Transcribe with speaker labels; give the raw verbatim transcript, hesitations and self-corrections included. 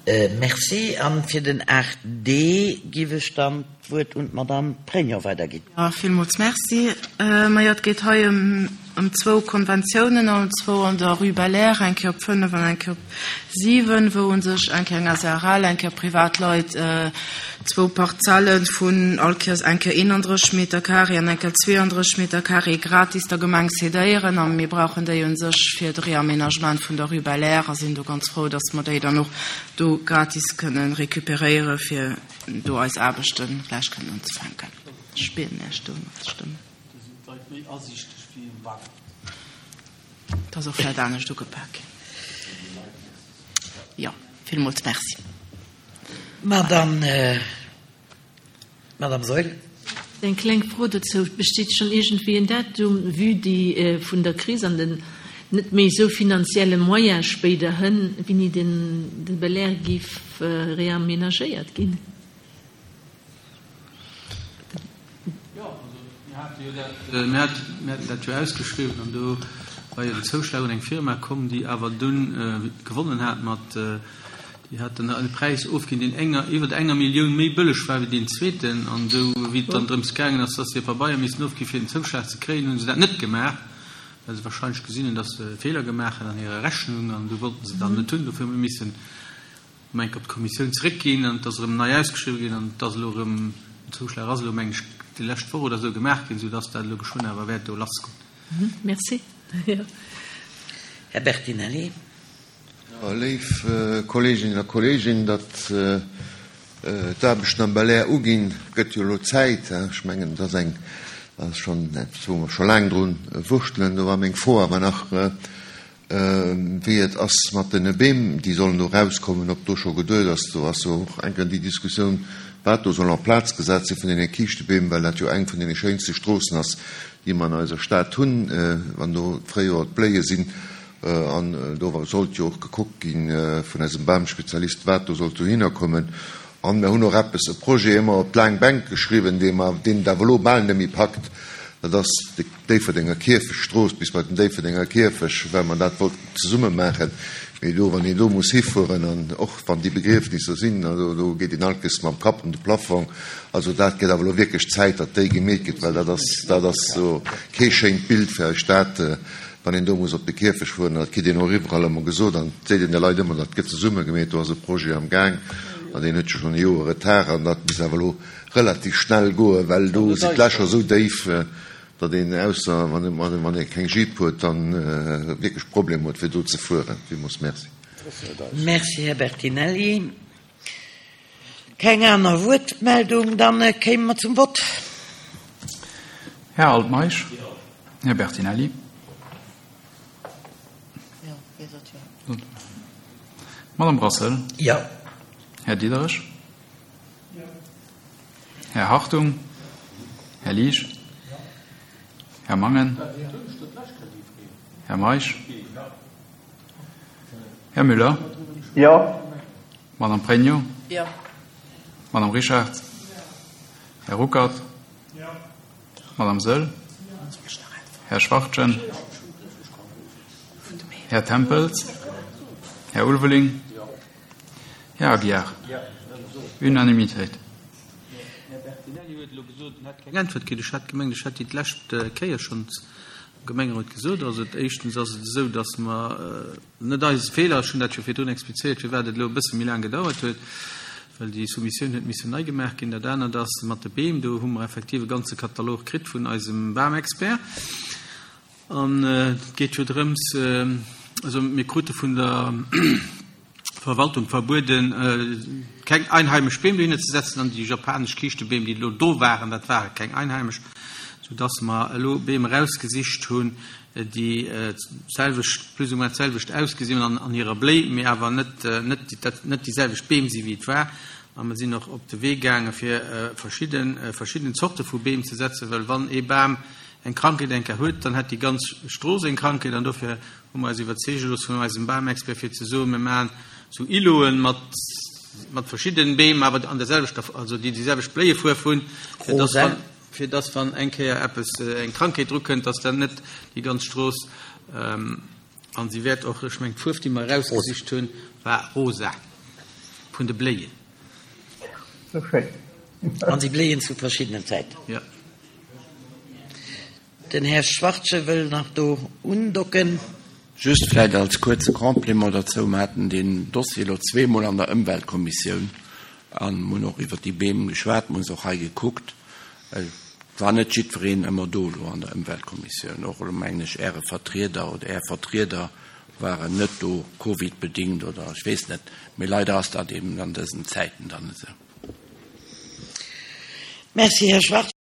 Speaker 1: Merci. An fir den aacht D giff ech dann d'Wuert un d'Madame Pregno weiderginn.
Speaker 2: Jo, villmools Merci. Majo, et geet hei ëm ëm zwou Konventiounen, an zwou an der Rue Belair, eng Kéier op fënnef an eng Kéier op siwen, wou u sech eng Kéier eng S A R L, eng Kéier Privatleit zwou Parzelle vun all Kéiers eng Kéier eenandrësseg Meter carré an eng Kéier zweeandrësseg Meter carré gratis der Gemeng cédéieren. A mir brauchen déi u sech fir de Réaménagement vun der Rue Belair a sinn do ganz frou, dass mer déi dann och do gratis kënnen récupéréiere fir do eis Aarbechte gläich kënnen unzefänken. Ech bieden Iech do matzestëmmen.
Speaker 3: Do sinn d'Leit méi asiichteg wéi um Bagger.
Speaker 2: Et ass och vläicht anescht ugepak ginn. Jo, villmools Merci.
Speaker 1: Madame, Madame Saeul.
Speaker 4: Eng kleng Fro dozou, Besteet schonn iergendwéi en Datum, vue déi vun der Kris an den net méi esou finanzielle Moyene spéiderhënn, wéini den de Belair géif reamenagéiert ginn?
Speaker 3: Jo, also mir hate jo dat, mir haten dat jo ausgeschriwwen an do war jo den Zouschlag un eng Firma komm, déi awer dunn gewonnen hat mat, déi hat dann e Präis ofginn, deen enger, iwwer enger Millioun méi bëlleg war wéi deen zweeten. An esou wéi et dann drëms gaangen ass, dass se hir Pabeier missten ofgi fir den Zouschlag ze kréien, hu se dat net gemaach, well se wahrscheinlech gesinn hunn, dass se e Feeler gemaach hunn an hirer Rechnung an du wollten se dann net hunn. Dofir hu mir missen erëm eng Kéier op d'Kommissioun zeréckginn an et ass erëm nei ausgeschriwwen ginn an et ass elo erëm, den Zouschlag ass elo, meng ech, déi lescht Woch oder esou gemaach ginn, soudass dat elo geschwënn awer wäert do lassgoen.
Speaker 4: Merci.
Speaker 1: Här Bertinelli.
Speaker 5: Jo, léif Kolleeginnen a Kolleegen, datt d'Aarbechten am Belair uginn, gëtt jo elo Zäit. Ech mengen, et ass eng, dat ass schonn eppes, wou mer scho laang dru wurschtelen. Do war meng Fro awer nach, wéi et ass mat den Beem, déi sollen do erauskommen, ob do scho geduet ass. Do ass jo och enk déi Diskussioun, wat do soll en place gesat si vun deene Kiischtebeem, well dat jo eng vun deene schéinste Stroossen ass, déi mer an eiser Stad hunn, wann do d'Fréijoer d'Bléie sinn. An do sollt jo och gekuckt gi vun eisem Bamspezialist, wat do sollt dohinner kommen. An mir hunn och eppes, e Projet ëmmer op d'laang Bänk geschriwwen, dee mer, deen et awer elo bal net méi packt, dat ass déi Déifferdenger Kierfechtstrooss bis bei den Déifferdenger Kierfech, well mer dat wollten zesumme maachen. Mee do, wann een do muss hifueren, an och wann déi Begriefnisser sinn, also do geet een alkes mam Kapp un de Plafong. Also dat gëtt awer elo wierklech Zäit, datt déi gemeet gëtt, well dat ass, dat ass jo kee schéint Bild fir eis Stad, wann een do muss op de Kierfech fueren. Dat kritt een och iwwerall ëmmer gesot an et seet een de Leit ëmmer, dat gëtt zesumme gemeet, do ass e Projet am Gaang an deen huet jo schonn e Joer Retard an dat muss awer elo relativ schnell goen, well do sinn d'Lächer esou déif, datt een, ausser wann ee keng Jeep huet, dann wierklech Problem huet fir do ze fueren. Villmools Merci.
Speaker 1: Merci, Här Bertinelli. Keng aner Wuertmeldung, dann kéime mer zum Vott.
Speaker 6: Här Altmeisch. Här Bertinelli. Madame Brassel.
Speaker 1: Jo.
Speaker 6: Här Diderich. Här Hartung. Här Liesch. Här Mangen. Här Meisch. Här Müller.
Speaker 7: Jo.
Speaker 6: Madame Pregno.
Speaker 2: Jo.
Speaker 6: Madame Richard. Här Ruckert. Madame Saeul. Här Schwachtgen. Här Tempels. Här Ulveling. Här Aguiar. Unanimitéit.
Speaker 3: Här Bertinelli huet elo gesot, en hätt keng Äntwert kritt. Ech hat gemengt, ech hätt déi d'lescht Kéier schonns am Gemengerot gesot. Also éischtens ass et esou, datt mer, net eise Feeler, ech hunn dat jo virdrun explizéiert, firwat et elo e bësse méi laang gedauert huet, well déi Soumissioun huet missen nei gemaach ginn. Dat anert ass mat de Beem, do hu mer effektiv e ganze Katalog kritt vun eisem Bamexpert. An et geet jo drëms, also mir krute vun der Verwaltung verbueden, keng einheimesch Beem dohinner ze setzen, an déi japanesch Kiischtebeem, déi elo do waren, dat ware keng einheimesch, soudass mer elo Beem erausgesicht hunn, déi d'selwecht, plus ou moins d'selwecht ausgesinn hunn an hirer Bléi, mee awer net, net, net déi selwecht Beem si wéi et war. A mer sinn och op de Wee gaange fir verschidden, verschidden Zorte vu Beem ze setzen, well wann ee Bam eng Krankheet eng Kéier huet, dann hätt déi ganz Strooss eng Krankheet. An dofir hu mer eis iwwerzeege looss vun eisem Bamexpert, fir ze soen, mir maachen sou Îloten mat, mat verschiddenen Beem, awer an der selwechter, also déi déi selwecht Bléiefuerf hunn, fir dass wann, fir dass wann eng Kéier eppes, eng Krankheet drukënnt, dass dann net déi ganz Strooss, an si wäert och, ech mengen d'Fuerf, déi mer erausgesicht hunn, war rosa. Vun de Bléien.
Speaker 7: Sou schéin.
Speaker 1: An si bléien zu verschiddenen Zäiten.
Speaker 3: Ja.
Speaker 1: Den Här Schwartze wëll nach do undocken.
Speaker 8: Just vläicht als kuerze Complément dozou, Mer haten deen Dossier elo zweemol an der Ëmweltkommissioun an hunn och iwwert déi Beem geschwat, mer hu se och hei gekuckt. Et war net jiddwereen ëmmer do elo an der Ëmweltkommissioun. Och elo mengen ech Äre Vertrieder oder Är Vertrieder waren net do, covidbedingt oder ech weess net. Mee leider ass dat eben an dësen Zäiten dann esou.
Speaker 1: Merci, Här Schwartz.